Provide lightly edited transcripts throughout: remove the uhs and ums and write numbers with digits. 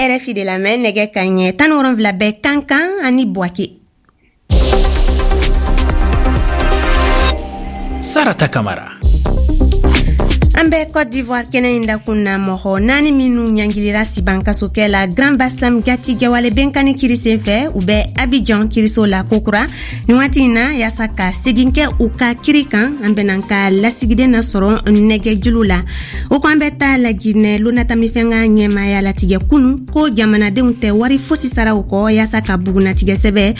RFI de lamɛn. Nɛgɛ kanɲɛ 17 bɛ Kankan ani Buwake. Sarata Kamara. An bɛ Cote d'Ivoire kɛnɛ in dakun na. Mɔgɔ naani minnu ɲangilira sibankasokɛ la Grand Bassam jatigɛwale benkani kiri sen fɛ, u bɛ Abidjan kiriso la kokura nin waati in na yaasa ka segin kɛ u ka kiri kan. An bɛna ka lasigiden na sɔrɔ nɛgɛjulu la. O ko an bɛ taa Laginɛ. Lonatamifɛn ka ɲɛmaya latigɛ kunu ko jamanadenw tɛ wari fosi sara o kɔ yaasa ka bugunatigɛ sɛbɛ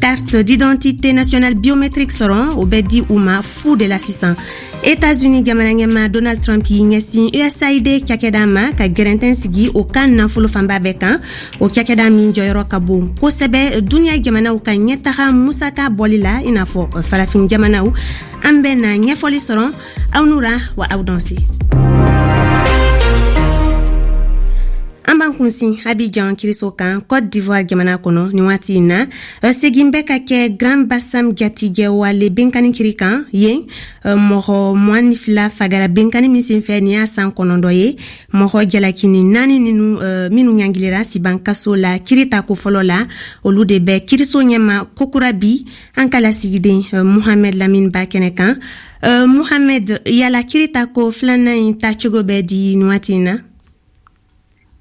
carte d'identité nationale biométrique sɔrɔ. O bɛ di u ma fu de la sisan. États-Unis jamana ɲɛma Donald Trump y'i ɲɛsin USAID cakɛda ma ka gɛrɛntɛn sigi o ka nafolo fanba bɛɛ kan. O cakɛda min jɔyɔrɔ ka bon kosɛbɛ duniɲa jamanaw ka ɲɛtaga musaka bɔli la, i n'a fɔ farafin jamanaw. An bɛ na ɲɛfɔli sɔrɔ. Aw nura wa aw danse. An b'an kunsin Abidjan kiriso kan, Cote d'Ivoire jamana kɔnɔ. Nin waati in na, segin bɛ ka kɛ Grand Bassam jatigɛwale benkani kiri kan yen. Mɔgɔ 22 fagara benkani min senfɛ, nin y'a san 9 ye. Mɔgɔ jalakini naani ninu minnu ɲangilira siban kaso la kiri tako fɔlɔ la, olu de bɛ kiriso ɲɛma kokura bi. An ka lasigiden Muhamɛd Lamine ba kɛnɛ kan. Muhamɛd, yala kiri tako filanan in tacogo bɛ di nin waati in na?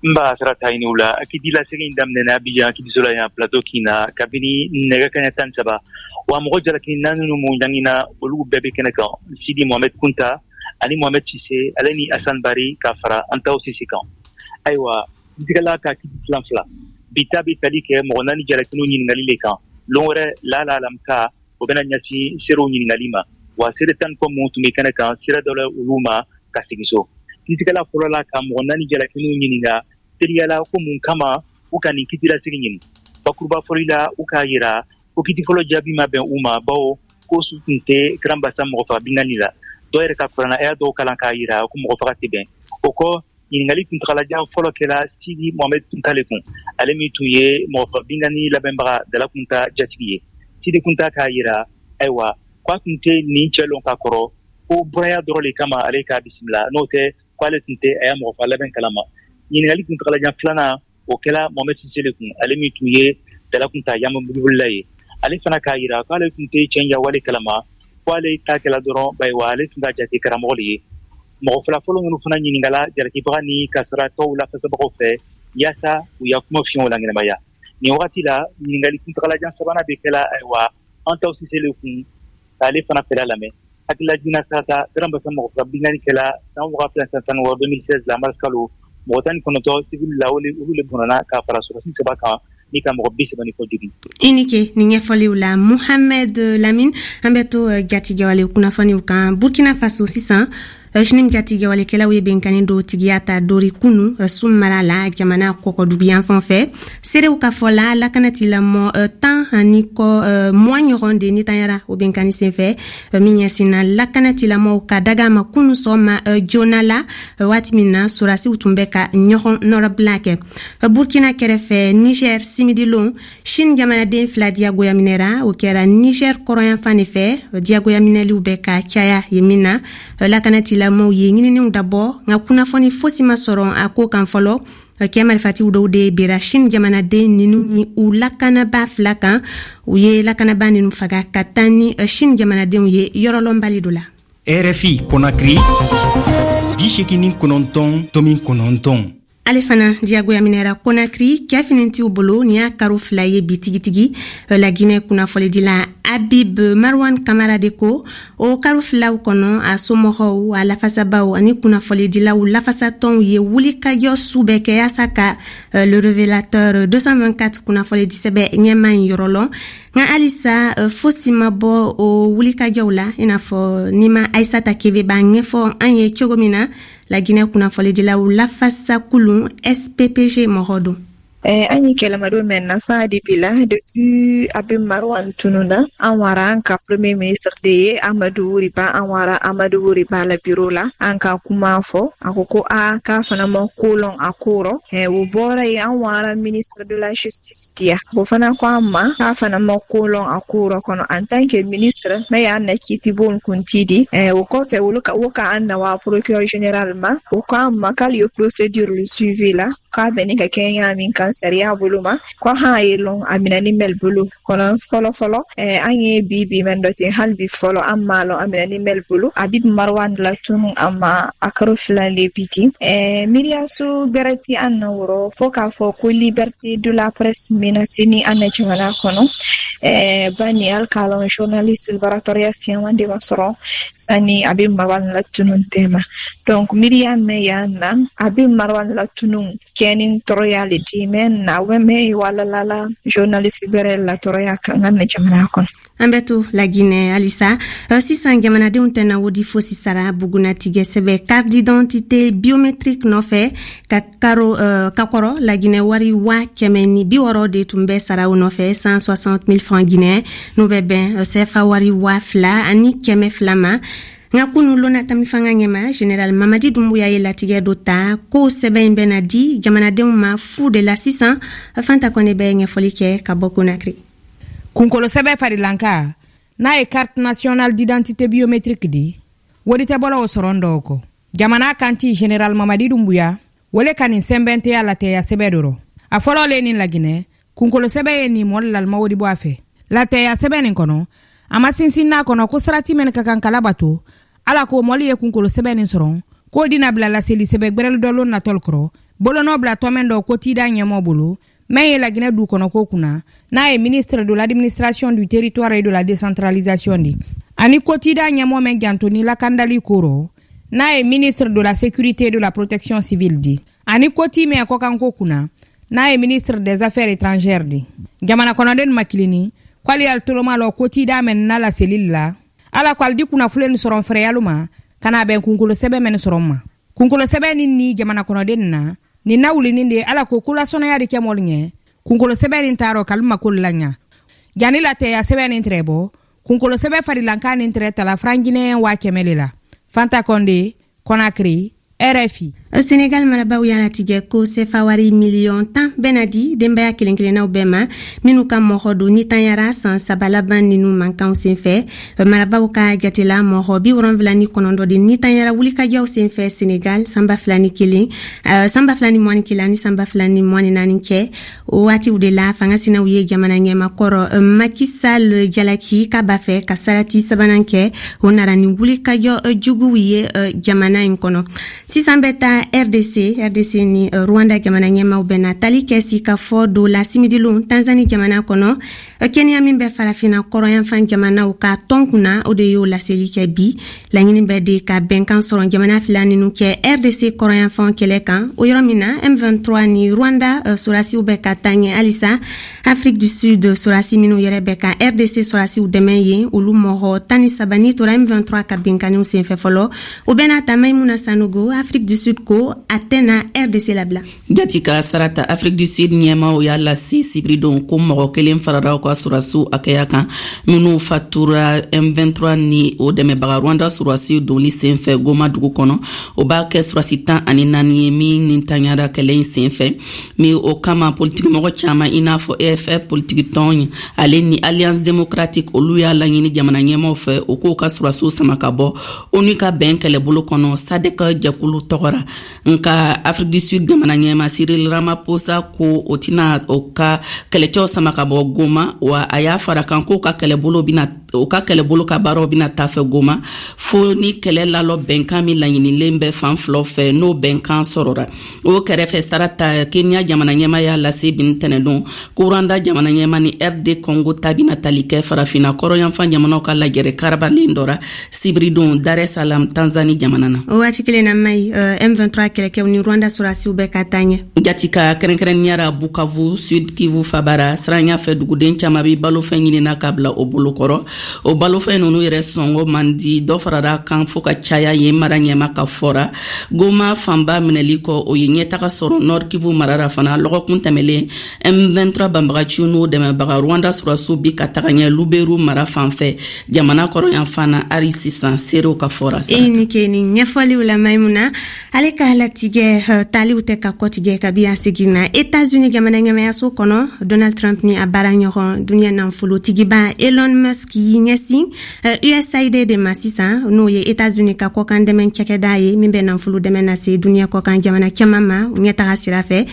N b'a Sarata, i ni wula. Kiti lasegin daminɛna Abidjan kitiso la yan, Plateau kin na, kabini nɛgɛ kaɲɛ 13. Wa mɔgɔ jalaki naani ninnu mun ɲangina, olu bɛɛ bɛ kɛnɛ kan: Sidi Mohamed Kunta ani Mohamed Sise, ale ni Asan Bari, ka fara Antaw Sise kan. Ayiwa, kitigɛla ka kiti filan fila bi ta bɛ tali kɛ mɔgɔ naani jalakiniw ɲininkali le kan. Lon wɛrɛ, lala alamisa, o bɛna ɲɛsin seerew ɲininkali ma. Wa seere 10 kɔ mun tun bɛ kɛnɛ kan, sira dɔ la olu ma ka segin so. Kitigɛla fɔlɔ la ka mɔgɔ naani jalakiniw ɲininka teliyala ko mun kama u ka nin kitilasigi ɲini. Bakuruba fɔli la, u k'a yira ko kiti fɔlɔ jaabi ma bɛn u ma, bawo ko su tun tɛ Grand Bassam mɔgɔ faga binkanni la. Dɔw yɛrɛ ka kuranna aya dɔw kalan k'a yira ko mɔgɔ faga tɛ bɛn o kɔ. Ɲininkali kuntagalajan fɔlɔ kɛra Sidi Mohamed Kunta le kun, ale min tun ye mɔgɔ faga binkanni labɛnbaga Dala Kunta jatigi ye. Sidi Kunta k'a yira ayiwa k'a tun tɛ nin cɛ lɔn ka kɔrɔ, ko buraya dɔrɔn le kama ale k'a bisimila, n'o tɛ k'ale tun tɛ a ya mɔgɔ faga labɛn kalama. Ɲininkali kuntagalajan filanan, o kɛra Mohamed Sise le kun, ale min tun ye Dala Kunta yamabolila ye. Ale fana k'a yira k'ale tun tɛ cɛ yawale kalama, ko ale ta kɛla dɔrɔn, ayiwa, ale tun ka jate karamɔgɔ de ye. Mɔgɔ fila fɔlɔ minnu fana ɲininkala jalakibaga ni kasaratɔw lafasabagaw fɛ yaasa u ya kuma fiɲɛw la ɲɛnamaya nin wagati la, ɲininkali kuntagalajan sabanan bɛ kɛla ayiwa Antaw Sise le kun, k'ale fana fɛla lamɛn. Hakililajigin, Sarata, Grand Bassam mɔgɔ faga binkanni kɛla san 2016, 2016 la, mars kalo. Mɔgɔ 19 civil la, olu le bɔnna ka fara sɔrɔdasi saba kan ni ka mɔgɔ 30 ni kɔ jogin. I ni ke nin ɲɛfɔliw la, Muhamɛd Lamine. An bɛ to jatigɛwale kunnafoniw kan. Burkina Faso sisan, JNIM jatigɛwalekɛlaw ye benkani dɔ tigiya ta Dori kunu, Sum mara la, jamana kɔkɔduguyanfan fɛ. Seerew ka fɔ la, lakanatilamɔ 10 ani kɔ 20 ɲɔgɔn de nitanyara o benkani senfɛ min ɲɛsinna lakanatilamɔw ka daga ma kunu sɔgɔma joona la, waati min na sorasiw tun bɛ ka ɲɔgɔn nɔrɔbila kɛ. Burkina kɛrɛfɛ, Niger, simidilon, Chine jamanaden fila diyagoya minɛra. O kɛra Niger kɔrɔyanfan de fɛ. Diyagoya minɛliw bɛ ka caya yen min na, lakanatilamɔw ye ɲininiw dabɔ, nka kunnafoni fosi ma sɔrɔ a ko kan fɔlɔ. Kɛ marifatiw dɔw de bera Chine jamanaden ninu ni u lakanaba fila kan. U ye lakanaba ninu faga ka taa ni Chine jamanadenw ye yɔrɔlɔnbali dɔ la. RFI Conakry, 89.9. Ale fana diyagoya minɛra Konakiri cɛ finitiw bolo. Nin y'a karo 2 ye bi tigitigi. Laginɛ kunnafonidila Habib Marwan Kamara de ko o karo filaw kɔnɔ, a somɔgɔw, a lafasabaw ani kunnafonidilaw lafasatɔnw ye wulikajɔ su bɛɛ kɛ yaasa ka Le Révélateur 224 kunnafonidisɛbɛ ɲɛma in yɔrɔ lɔn, nka halisa fosi ma bɔ o wulikajɔw la, i n'a fɔ nima Aisata Kebe b'a ɲɛfɔ an ye cogo min na. Laginɛ kunnafonidilaw lafasa kulun SPPG mɔgɔ don. An ye kɛlɛmadon mɛn na sa depuis la, depuis Habib Marwan tununa. An wara an ka premier ministre de ye Amadu Wuriba. An wara Amadu Wuriba la bureau la, an ka kuma fɔ. A ko ko a k'a fana ma ko lɔn a ko rɔ. O bɔra yen, an wara ministre de la Justice diya. O fana ko an ma k'a fana ma ko lɔn a ko rɔ kɔnɔ en tant que ministre mais y'an na kiitibon kunti di. O kɔfɛ, olu ka o ka an na wa procureur général ma. O ko an ma k'ale ye procédure le suivi la. k'a bɛnni ka kɛ ɲa min kan sariya bolo ma ko han ye lɔn a minɛni mɛli bolo kɔnɔ fɔlɔ fɔlɔ an ye bi bi mɛn dɔ ten hali bi fɔlɔ an m'a lɔn a minɛni mɛli bolo. Habib Marwan latunu a ma a karo 2 le bi di. Miiriyaso gbɛrɛ tɛ an na wɔrɔ fo k'a fɔ ko liberté de la presse menacéni an na jamana kɔnɔ. Bani hali k'a lɔn journaliste bara tɔɔrɔya siyaman de ma sɔrɔ sani Habib Marwan latunu tɛma. Donc miiriya mɛn y'an na Habib Marwan latunu kɛni tɔɔrɔya le di mɛn na mɛn walalala journaliste gbɛrɛ la tɔɔrɔya kan an na jamana kɔnɔ. An bɛ to Laginɛ halisa. Sisan jamanadenw tɛna wodi fosi sara bugunatigɛ sɛbɛ carte d'identité biométrique nɔfɛ ka karo ka kɔrɔ Laginɛ wari 160 000 de tun bɛ sara o nɔfɛ, 160 000 francs guinéen, n'o bɛ bɛn CFA wari 2200 ma. Nka kunu lona tami fanga ɲɛma général Mamadi Dumbuya ye latigɛ dɔ ta ko sɛbɛn in bɛna di jamanadenw ma fu de la sisan. Fanta Kɔnɛ bɛ ɲɛfɔli kɛ ka bɔ Konakiri. Kunkolo sɛbɛ farilanka n'a ye carte nationale d'identité biométrique di, wodi tɛ bɔla o sɔrɔ dɔw kɔ. Jamana kanti général Mamadi Dumbuya wole ka nin sɛnbɛnteya latɛya sɛbɛ dɔrɔ a fɔlɔ le nin Laginɛ kunkolo sɛbɛ ye nin mɔli lalima wodi bɔ a fɛ. Latɛya sɛbɛ nin kɔnɔ, a ma sinsin n'a kɔnɔ ko sarati mɛn ka kan kala bato ala ko mɔli ye kunkolo sɛbɛ nin sɔrɔ k'o dina bila laseli sɛbɛ gwɛrɛli dɔ lon natɔli kɔrɔ bolonɔ bila tɔmɛn dɔ ko tida ɲɛmɔ bolo mɛn ye Laginɛ du kɔnɔ ko kunna, n'a ye ministre de l'Administration du Territoire et de la Décentralisation di, ani kotida ɲɛmɔ mɛn janto ni lakandali ko rɔ, n'a ye ministre de la Sécurité et de la Protection civile di, ani koti mɛn kɔkanko kunna, n'a ye ministre des Affaires étrangères di. Jamana kɔnɔden makilini k'ale y'al toloma lɔ kotida mɛn na laseli la ala ko ali di kunnafoni sɔrɔ fɛrɛyalu ma ka na bɛn kunkolo sɛbɛ mɛn sɔrɔ ma. Kunkolo sɛbɛ ni ni jamana kɔnɔden na nin na wulinin de ala ko kolasɔnɔya de kɛ mɔlu ɲɛ kunkolo sɛbɛ nin taarɔ k'alu mako la ɲa. Jani latɛya sɛbɛ nin tɛrɛ bɔ, kunkolo sɛbɛ farilankan nin tɛrɛ tala franc guinéen 100 000 le la. Fanta Kɔnde, Conakry, RFI. Senegal marabaw y'a latigɛ ko sefa wari miliyɔn 10 bɛna di denbaya kelen kelennaw bɛɛ ma minnu ka mɔgɔ don ni tanyara san 3 laban ninu mankanw senfɛ. Marabaw ka jatela, mɔgɔ 79 de ni tanyara wulikajɔw senfɛ Senegal san 2001, san 2021 ani san 2024 kɛ. O waatiw de la, fanga sinaw ye jamana ɲɛmakɔrɔ Macky Sall jalaki k'a b'a fɛ ka sarati sabanan kɛ. O nara ni wulikajɔ juguw ye jamana in kɔnɔ. Sisan bɛ taa RDC. RDC ni Rwanda jamana ɲɛmaw bɛna tali kɛ sigikafɔ dɔ la simidilon Tanzanie jamana kɔnɔ. Kenya min bɛ Farafina kɔrɔyanfan jamanaw ka tɔn kunna, o de y'o laseli kɛ bi. Laɲini bɛ de ka bɛnkan sɔrɔ jamana fila ninu kɛ RDC kɔrɔyanfan kɛlɛ kan, o yɔrɔ min na M23 ni Rwanda sɔrasiw bɛ ka taa ɲɛ halisa. Afrique du Sud sɔrasi minnu yɛrɛ bɛ ka RDC sɔrasiw dɛmɛ yen, olu mɔgɔ 13 ni tora M23 ka binkanniw senfɛ fɔlɔ. O bɛɛ n'a ta, Maimuna Sanogo, Afrique du Sud ko a tɛna RDC labila. Jati ka sarata, Afrique du Sud ɲɛmaw y'a lase sibiridon ko mɔgɔ kelen farara u ka sɔrasiw hakɛya kan minnu fatura M23 ni o dɛmɛbaga Rwanda sɔrasiw donni senfɛ Goma dugu kɔnɔ. O b'a kɛ sɔrasi 14 ye min ni tanyara kɛlɛ in senfɛ min. O kama, politikimɔgɔ caaman i n'a fɔ EFF politikitɔn ale ni Alliance démocratique, olu y'a laɲini jamana ɲɛmaw fɛ o k'o ka sɔrasiw sama ka bɔ ONU ka bɛn kɛlɛbolo kɔnɔ SADC jɛkulu tɔgɔ ra. Nka Afrique du Sud jamana ɲɛma Cyril Ramaphosa ko o tɛna o ka kɛlɛcɛw sama ka bɔ Goma, wa a y'a fara kan k'o ka kɛlɛbolo bina o ka kɛlɛbolo ka baaraw bɛna taa fɛ Goma fo ni kɛlɛ lalɔ bɛnkan min laɲinilen bɛ fan filaw fɛ, n'o bɛnkan sɔrɔra. O kɛrɛfɛ, sarata, Kenya jamana ɲɛma y'a lase bin tɛnɛdon ko Rwanda jamana ɲɛma ni RD Congo ta bɛna tali kɛ Farafina kɔrɔyanfan jamanaw ka lajɛrɛ karabalen dɔ ra sibiridon Dar es Salaam, Tanzanie jamana na. O waati kelen na, Mayi, M23 kɛlɛkɛw ni Rwanda sɔrasiw bɛ ka taa ɲɛ. Jati ka kɛrɛnkɛrɛnnenya ra Bukavu, Sud Kivu fabara siranya fɛ, duguden caman bɛ balofɛn ɲinina ka bila o bolokɔrɔ. O balofɛn nunu yɛrɛ sɔngɔ man di, dɔ farara kan fɔɔ ka caya yen mara ɲɛma ka fɔra. Goma fanba minɛli kɔ, o ye ɲɛtaga sɔrɔ Nord Kivu mara ra fana. Lɔgɔkun tɛmɛlen, M23 banbagaciw n'o dɛmɛbaga Rwanda sɔrɔsiw bi ka taga ɲɛ Luberu mara fan fɛ jamana kɔrɔyanfan na hali sisan, seerew ka fɔra. E ni ke ni ɲɛfɔliw la. Maimuna, ale ka latigɛ taliw tɛ ka kɔtigɛ kabi a seginna Etats-Unis jamana ɲɛmayaso kɔnɔ. Donald Trump ni a baara ɲɔgɔn duniɲa nafolotigiba Elon Musk ye y'i ɲɛsin USAID de ma sisan, n'o ye États-Unis ka kɔkan dɛmɛ cakɛda ye min bɛ nafolo dɛmɛ lase duniɲɛ kɔkan jamana caman ma ɲɛtaga sira fɛ.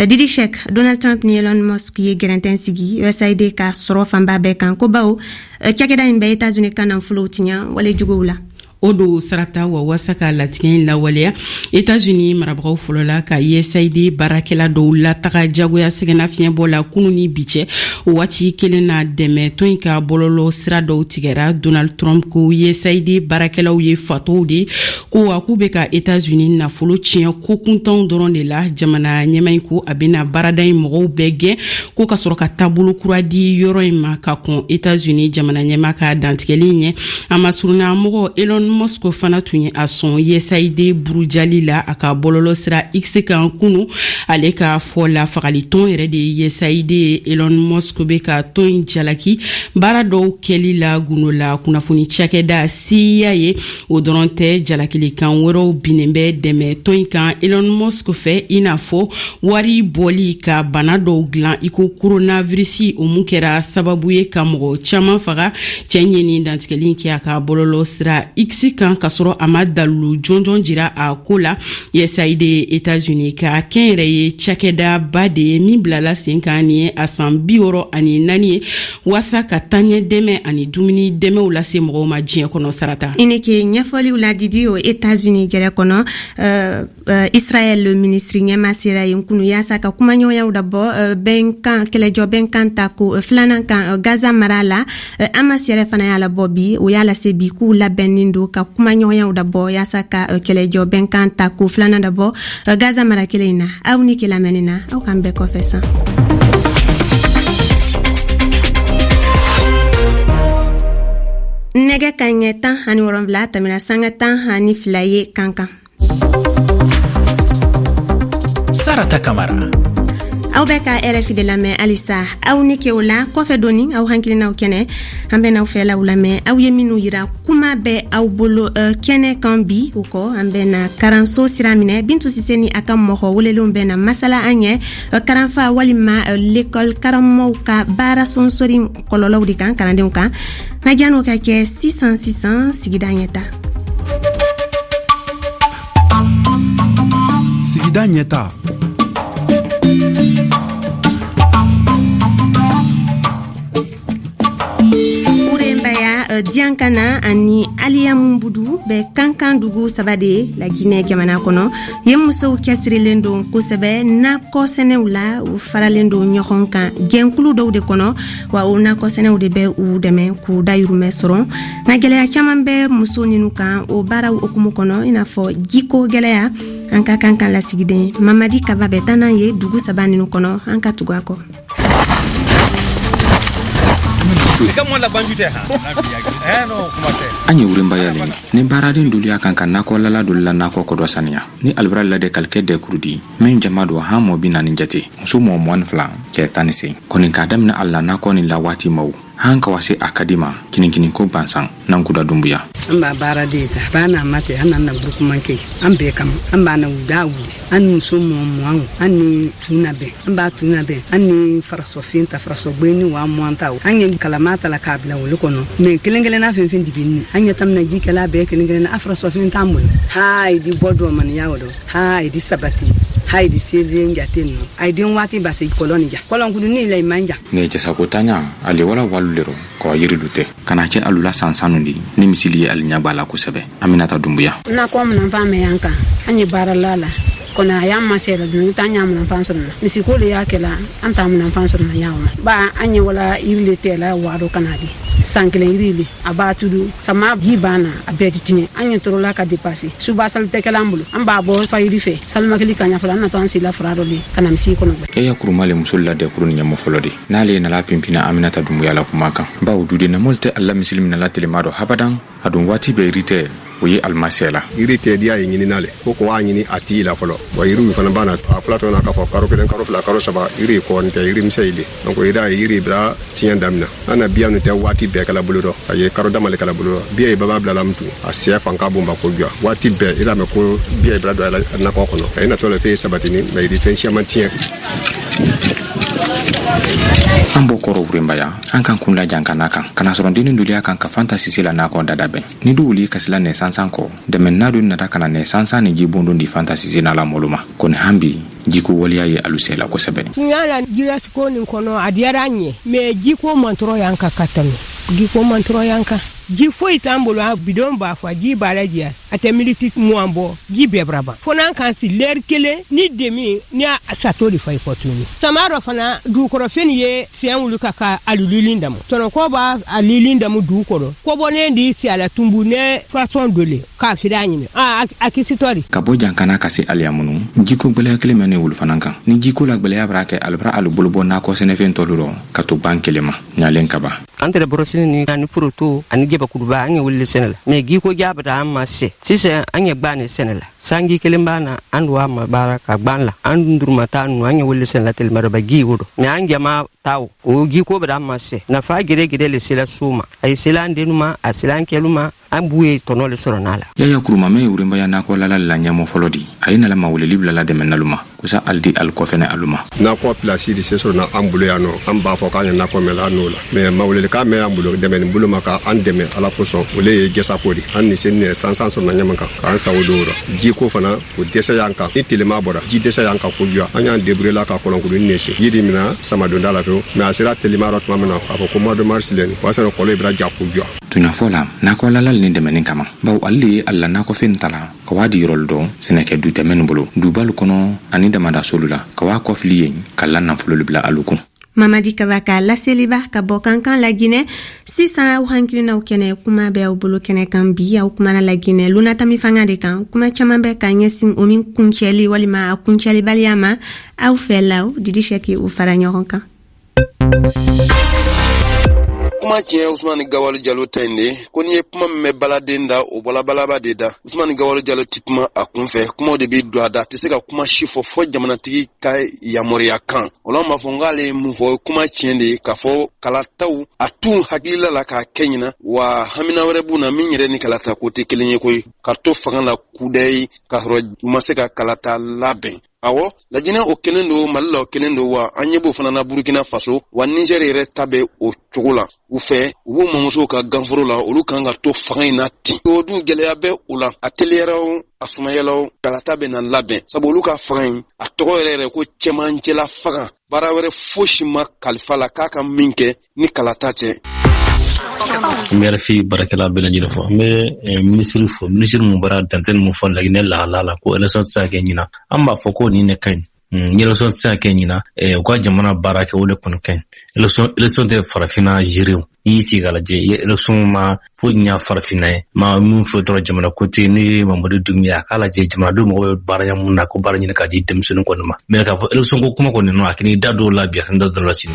Didi Cheikh, Donald Trump ni Elon Musk ye gɛrɛntɛn sigi USAID ka sɔrɔ fanba bɛɛ kan, ko bawo cakɛda in bɛ États-Unis ka nafolow tiɲɛ wale juguw la. O don Sarata, wa waasa ka latigɛ in lawaleya, Etats-Unis marabagaw fɔlɔla ka USAID baarakɛla dɔw lataga jagoya sɛgɛnnafiɲɛbɔ la kunu ni bi cɛ. O waati kelen na, dɛmɛtɔn in ka bɔlɔlɔ sira dɔw tigɛra. Donald Trump ko USAID baarakɛlaw ye fatɔw de, ko wa k'u bɛ ka Etats-Unis nafolo tiɲɛ ko kuntanw dɔrɔn de la. Jamana ɲɛmaa in ko a bɛna baarada in mɔgɔw bɛɛ gɛn, ko ka sɔrɔ ka taabolo kura di yɔrɔ in ma. Ka kɔn Etats-Unis jamana ɲɛmaa ka dantigɛli ɲɛ, a masurunna mɔgɔ Elon Musk fana tun ye a sɔn USAID burujali la a ka bɔlɔlɔ sira X kan kunu. Ale ka fɔ la, fagalitɔn yɛrɛ de ye USAID ye. Elon Musk bɛ ka tɔn in jalaki baara dɔw kɛli la gundo la kunnafoni cakɛda CIA ye. O dɔrɔn tɛ, jalakilikan wɛrɛw binnen bɛ dɛmɛ tɔn in kan Elon Musk fɛ, i n'a fɔ wari bɔli ka bana dɔw dilan i ko coronavirus, o mun kɛra sababu ye ka mɔgɔ caman faga. Cɛ ye nin dantigɛli kɛ a ka bɔlɔlɔ sira X kan, k'a sɔrɔ a ma dalilu jɔnjɔn jira a ko la. USAID ye États-Unis ka kɛnyɛrɛye cakɛdaba de ye min bilala sen kan nin ye a san 64 ye, waasa ka taaɲɛ dɛmɛ ani dumuni dɛmɛw lase mɔgɔw ma diɲɛ kɔnɔ, Sarata. I ni ke ɲɛfɔliw la, Didi. O États-Unis gɛrɛ kɔnɔ, Israël ministre ɲɛma sera yen kunu yaasa ka kumaɲɔgɔnyaw dabɔ bɛnkan kɛlɛjɔ bɛnkan ta ko filanan kan Gaza mara la. Hamas yɛrɛ fana y'a labɔ bi, o y'a lase bi k'u labɛnnen don ka kumaɲɔgɔnyaw dabɔ yaasa ka kɛlɛjɔ bɛnkan ta ko filanan dabɔ Gaza mara kelen in na. Aw ni ke lamɛnni na, aw k'an bɛɛ kɔfɛ san. Nɛgɛ ka ɲɛ 17 tɛmɛna sanga 12 ye kan kan. Sarata Kamara. Aw bɛ ka RFI de lamɛn halisa. Aw ni ke o la kɔfɛ doni, aw hakilinaw kɛnɛ, an bɛ n'aw fɛlaw lamɛn, aw ye minnu yira kuma bɛ aw bolo kɛnɛ kan bi. O kɔ, an bɛ na karanso sira minɛ. Bintu Sise ni a ka mɔgɔ welelenw bɛ na masala an ɲɛ karanfa walima l'école karamɔgɔw ka baara sonsori kɔlɔlɔw de kan kalandenw kan. Nka jan'o ka kɛ, sisan sisan, sigida ɲɛta. Sigida ɲɛta. Urembaya, Diankana ani Aliyamunbudu bɛ Kankan dugu saba de ye Laginɛ jamana kɔnɔ. Yen musow cɛsirilen don kosɛbɛ nakɔ sɛnɛw la. U faralen don ɲɔgɔn kan jɛnkulu dɔw de kɔnɔ, wa o nakɔ sɛnɛw de bɛ u dɛmɛ k'u dayurumɛ sɔrɔ. Nka gɛlɛya caman bɛ muso ninnu kan o baaraw hukumu kɔnɔ, i n'a fɔ jiko gɛlɛya. An ka kan kan lasigiden Mamadi Kaba bɛ taa n'an ye dugu saba ninnu kɔnɔ. An ka tugu a kɔ. An ye Wurenbaya le ni baaraden dolu y'a kan ka nakɔlala dolu la nakɔ kɔdɔ saniya ni alibara la de kalikɛ dɛkuru di min jama don han mɔ 40 jate, muso mɔ 22, cɛ 18 kɔni. K'a daminɛ a la nakɔ ni la waati maw han ka wa se a ka di ma kininkini ko gansan Nankuda Dunbuya. An b'a baara de ta ba n'a ma tɛ, an nana groupement kɛ an bɛɛ kama. An b'a na da wuli, an ni muso mɔ mugan, an ni tun bɛn, an b'a tun bɛn, an ni farasɔfin ta, farasɔgbe ni wa mugan ta. An ye kalama ta la k'a bila olu kɔnɔ, mɛ kelen kelenna fɛn fɛn dibi an ɲɛ tamina ji kɛla bɛɛ kelen kelenna. A farasɔfin t'an bolo. Ha di bɔ dɔ maniya o dɔ, ha di sabati, ha di selen jate nɔ, a ye den waati basi kɔlɔn ni ja kɔlɔnkulu ni la i man ja. Ne jasako taɲa ale wala walu le rɔ kɔ yirilu tɛ ka na cɛ alula san sanu di ni misili ye ali ɲa b'a la kosɛbɛ. Aminata Dunbuya. Nakɔ minɛnfan mɛ yan kan, an ye baara la la kɔnɔ, a y'an ma sera dun t'an y'a minɛnfan sɔrɔ na misiko le y'a kɛla, an t'a minɛnfan sɔrɔ na ɲaw ma ba. An ye wala yiri le tɛla waado kana di san kelen yiri le a b'a tudu sama ji banna, a bɛɛ ti tiɲɛ. An ye torola ka depase suba sali tɛ kɛla an bolo, an b'a bɔ fayiri fɛ salimakili ka ɲa fɔlɔ, an natɔ an sela fura dɔ le ka na misi kɔnɔ. E ya kuruma le musolu la dɛkuru ni ɲɛmɔ fɔlɔ de n'ale ye nala pimpina Aminata Dunbuya la kuma kan, bawo duden namɔlu tɛ ala misili minɛ la telema dɔ habadan. A dun waati bɛɛ yiri tɛ o ye alimasɛ la. Yiri tɛ diya ye ɲinina le ko ko a ɲini a t'i la fɔlɔ wa. Yiriw fana b'a na a fila tɔ na k'a fɔ karo kelen, karo fila, karo saba, yiri kɔni tɛ yiri misɛn le. Donc i y'a ye yiri bila tiɲɛ daminɛ. An na biya nu tɛ waati bɛɛ kɛla bolo dɔ, a ye karo dama le kɛla bolo dɔ. Biya ye baba bila la mutu a sɛ fan ka bon ba ko jɔ waati bɛɛ i l'a mɛn ko biya ye bila don a nakɔ kɔnɔ, a ye natɔ le fɛn sabatini mɛ yiri fɛn siyaman tiɲɛ. An bɔ kɔrɔ Wurenbaya, an kan kun la Jankana kan ka na sɔrɔ dennin dolu y'a kan ka Fanta Sise la nakɔ dada bɛn ni du wuli kasila nɛ sansan kɔ dɛmɛna dolu nata ka na nɛ sansan ni jibondon di Fanta Sise n'a la mɔlu ma. Kɔni han bi jiko waleya ye alu sɛla kosɛbɛ. Tunya la jirasiko nin kɔnɔ a diyara an ye, mais jiko mantɔrɔ y'an kan ka tɛmɛ. Jiko mantɔrɔ y'an kan, ji foyi t'an bolo, a bidon b'a fɔ ji b'a lajɛ, a tɛ miniti 20 bɔ, ji bɛɛ bara ban. Fo n'an kan si lɛri kelen ni demi ni a sato de fa i kɔ tuguni. Sama dɔ fana dugukɔrɔfɛn ye siɲɛ wuli ka ka alulilin damu, tɔnɔkɔ b'a alilin damu dugu kɔrɔ, kɔbɔnen di si a la tumbu ne façon dɔ le k'a fili a ɲimi a kisitɔ de. Ka bɔ Jankana ka se Aliyamunu, jiko gwɛlɛya kelen mɛ ne wolu fana kan. Ni jiko la gwɛlɛya bara kɛ, alu bara alu bolo bɔ nakɔ sɛnɛfɛn tɔlu rɔ ka to ban kelen ma ɲalen kaba. An tɛrɛ borosini ni ani foroto ani jabakuruba an ye wuli sɛnɛ la, mais jiko jaabi an ma se sisan an ye gban ne sɛnɛ la. Sanji kelen b'a na an don a ma baara ka gban la, an dun duruma taa nu an ye wuli sɛnɛ la telima dɔ ba ji o dɔ, mais an jama taw o jiko bɛ an ma se nafa gere gere le sela so ma, a ye sela an dennu ma, a sela an kɛlu ma, an b'u ye tɔnɔ le sɔrɔ n'a la. Yaya Kuruma mɛ ye Wurenbaya nakɔ lala la ɲɛmɔ fɔlɔ di, a ye nala maweleli bilala dɛmɛnalu ma kusa ali di ali kɔfɛnɛ alu ma. Nakɔ pilasi di se sɔrɔ na an bolo yan nɔ, an b'a fɔ k'an ye nakɔ mɛn la n'o la, mais mawelelikan mɛn an bolo dɛmɛni bolo ma k'an dɛmɛ Ala kosɔn, o le ye jɛsako di. An ni se ni sansan sɔrɔ na ɲɛma kan k'an sago don o rɔ. Jiko fana o dɛsɛ y'an kan, ni telema bɔra ji dɛsɛ y'an kan kojuguya, an y'an débrouiller la ka kɔlɔnkuruni ne sen. Ji di mina samadonda la fewu, mais a sera telema rɔ tuma min na k'a fɔ ko mois de mars lɛni, o y'a sɔrɔ kɔlɔn bɛra ja kojuguya. Tuɲafɔ la nakɔlala ni dɛmɛni kama, bawo ale le ye a la nakɔfɛn ta la ka waa di yɔrɔlu dɔ sɛnɛkɛ du tɛ minnu bolo dubalu kɔnɔ ani damadasoolu la, ka waa kɔfili yen ka la nafololu bila alu kun. Mamadi Kaba ka laseliba ka bɔ Kankan Laginɛ. Sisan aw hakilinaw kɛnɛ kuma bɛ aw bolo kɛnɛ kan bi. Aw kumana Laginɛ lunatami fanga de kan, kuma caman bɛ ka ɲɛsin o min kuncɛli walima a kuncɛlibaliya ma. Aw fɛ law Didi Sɛki u fara ɲɔgɔn kan. Kuma tiɲɛ Usumani Gawalo Jalo ta in de ko n'i ye kuma min mɛn baladen da, o bɔla balaba de da. Usumani Gawalo Jalo ti kuma a kun fɛ, kumaw de bɛ don a da, a tɛ se ka kuma si fɔ fɔ jamanatigi ka yamaruya kan. O la an b'a fɔ n k'ale ye mun fɔ, kuma tiɲɛ de ye k'a fɔ kalataw a t'u hakilila la k'a kɛ ɲina, wa hamina wɛrɛ b'u na min yɛrɛ ni kalata ko tɛ kelen ye koyi, ka to fanga la kudayi k'a sɔrɔ u ma se ka kalata labɛn. Awɔ, Lajinɛ o kelen don, Mali la o kelen don, wa an ɲɛ b'o fana na Burukina Faso, wa Nizɛri yɛrɛ ta bɛ o cogo la. U fɛ, u b'u mamusow ka ganforo la, olu kan ka to fanga in na ten. O dun gɛlɛya bɛ o la, a teliyara o, a sumayala o, kalata bɛ na labɛn, sabu olu ka fanga in, a tɔgɔ yɛrɛ yɛrɛ ko cɛmancɛla fanga. Baara wɛrɛ fosi ma kalifa la k'a ka min kɛ ni kalata cɛ. N bɛ RFI baarakɛla bɛɛ lajɛlen fo. N bɛ minisiri fo, minisiri mun bɔra dantɛ mun fɔ Laginɛ lahala la ko élection tɛ se ka kɛ ɲinan. An b'a fɔ ko nin de ka ɲi. Ni élection tɛ se ka kɛ ɲinan, u ka jamana baara kɛ o de kɔni ka ɲi. Élection tɛ farafinna gérer o. N'i y'i sigi k'a lajɛ, i ye élection ma foyi ɲa farafinna ye. Ma min fɔ dɔrɔn jamana ko tɛ, n'u ye Mamadu Dunbiya a k'a lajɛ jamanadenw mago bɛ baara mun na, ko baara ɲini k'a di denmisɛnnin kɔni ma. Mais k'a fɔ élection ko kuma kɔni nɔ, a k'i da don o la bi, a k'i da don o la sini.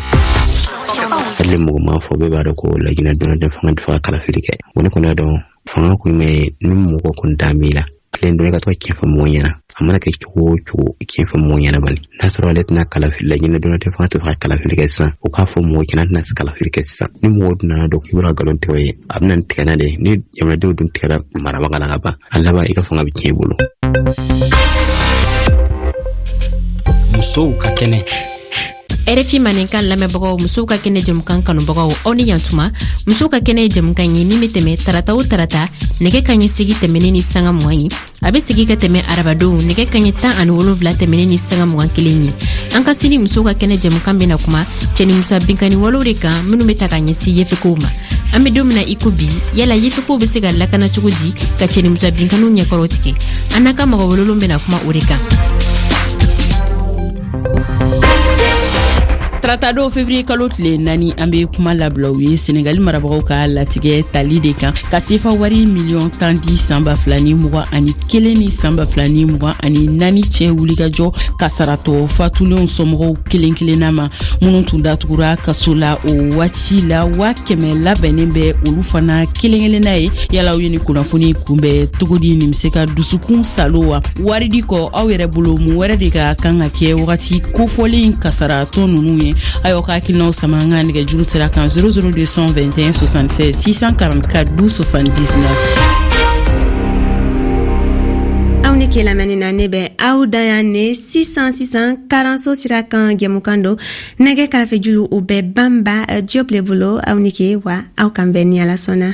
Hali mɔgɔ m'a fɔ, bɛɛ b'a dɔn ko Laginɛ donna tɛ fanga tɛ fɛ ka kalafili kɛ. Wa ne kɔni y'a dɔn fanga kun mɛ ni mɔgɔ kun dan b'i la, tilen don i ka to ka tiɲɛ fɔ mɔgɔw ɲɛna. A mana kɛ cogo o cogo, tiɲɛ fɔ mɔgɔw ɲɛna bani. N'a sɔrɔ ale tɛna kalafili, Laginɛ donna tɛ fanga tɛ fɛ ka kalafili kɛ sisan, o k'a fɔ mɔgɔw ɲɛna tɛna se kalafili kɛ sisan. Ni mɔgɔw dun nana dɔn k'i bɔra nkalon tigɛ o ye, a bɛna nin tigɛ n'a de ye. Ni jamanadenw dun tigɛra marabaga la ka ban, a laban i ka fanga bɛ tiɲɛ i bolo. Musow ka kɛnɛ. RFI Mandenkan lamɛnbagaw, musow ka kɛnɛ jɛmukan kanubagaw, aw ni yantuma. Musow ka kɛnɛ ye jɛmukan ye min bɛ tɛmɛ tarata o tarata nɛgɛ kaɲɛ segi tɛmɛnen ni sanga 20 ye. A bɛ segi ka tɛmɛ arabadonw nɛgɛ kaɲɛ 17 tɛmɛnen ni sanga 21 ye. An ka sini musow ka kɛnɛ jɛmukan bɛna kuma cɛnimusoya binkanni walew de kan minnu bɛ ta ka ɲɛsin yefekow ma. An bɛ don min na i ko bi, yala yefekow bɛ se ka lakana cogo di ka cɛnimusoya binkanniw ɲɛkɔrɔ tigɛ? An n'a ka mɔgɔ welelenw bɛna kuma o de kan. Taratadon février kalo tile 4, an be kuma labila u ye Senegali marabagaw ka latigɛ tali de kan ka sefa wari miliyɔn 10 di san 2021 ni san 2024 cɛ wulikajɔ kasaratɔ fatulenw somɔgɔw kelen kelenna ma minnu tun datugura kaso la o waati la. 100,000 labɛnnen bɛ olu fana kelen kelenna ye. Yala aw ye ni kunnafoni kunbɛn cogo di? Nin bɛ se ka dusukun salo wa? Wari di kɔ, aw yɛrɛ bolo mun wɛrɛ de ka kan ka kɛ wagati kofɔlen kasaratɔ ninnu ye? Aw ka hakilinaw sama an ka nɛgɛjuru sira kan 00221 76 644 12 79. Aw ni Aw ni ke lamɛnni na. Ne bɛ aw dan yan ne sisan sisan. Karanso sira kan jɛmukan don. Nɛgɛ karafejulu, o bɛ Banba Diop le bolo. Aw ni ke wa, aw kan bɛn ni Ala sɔnna.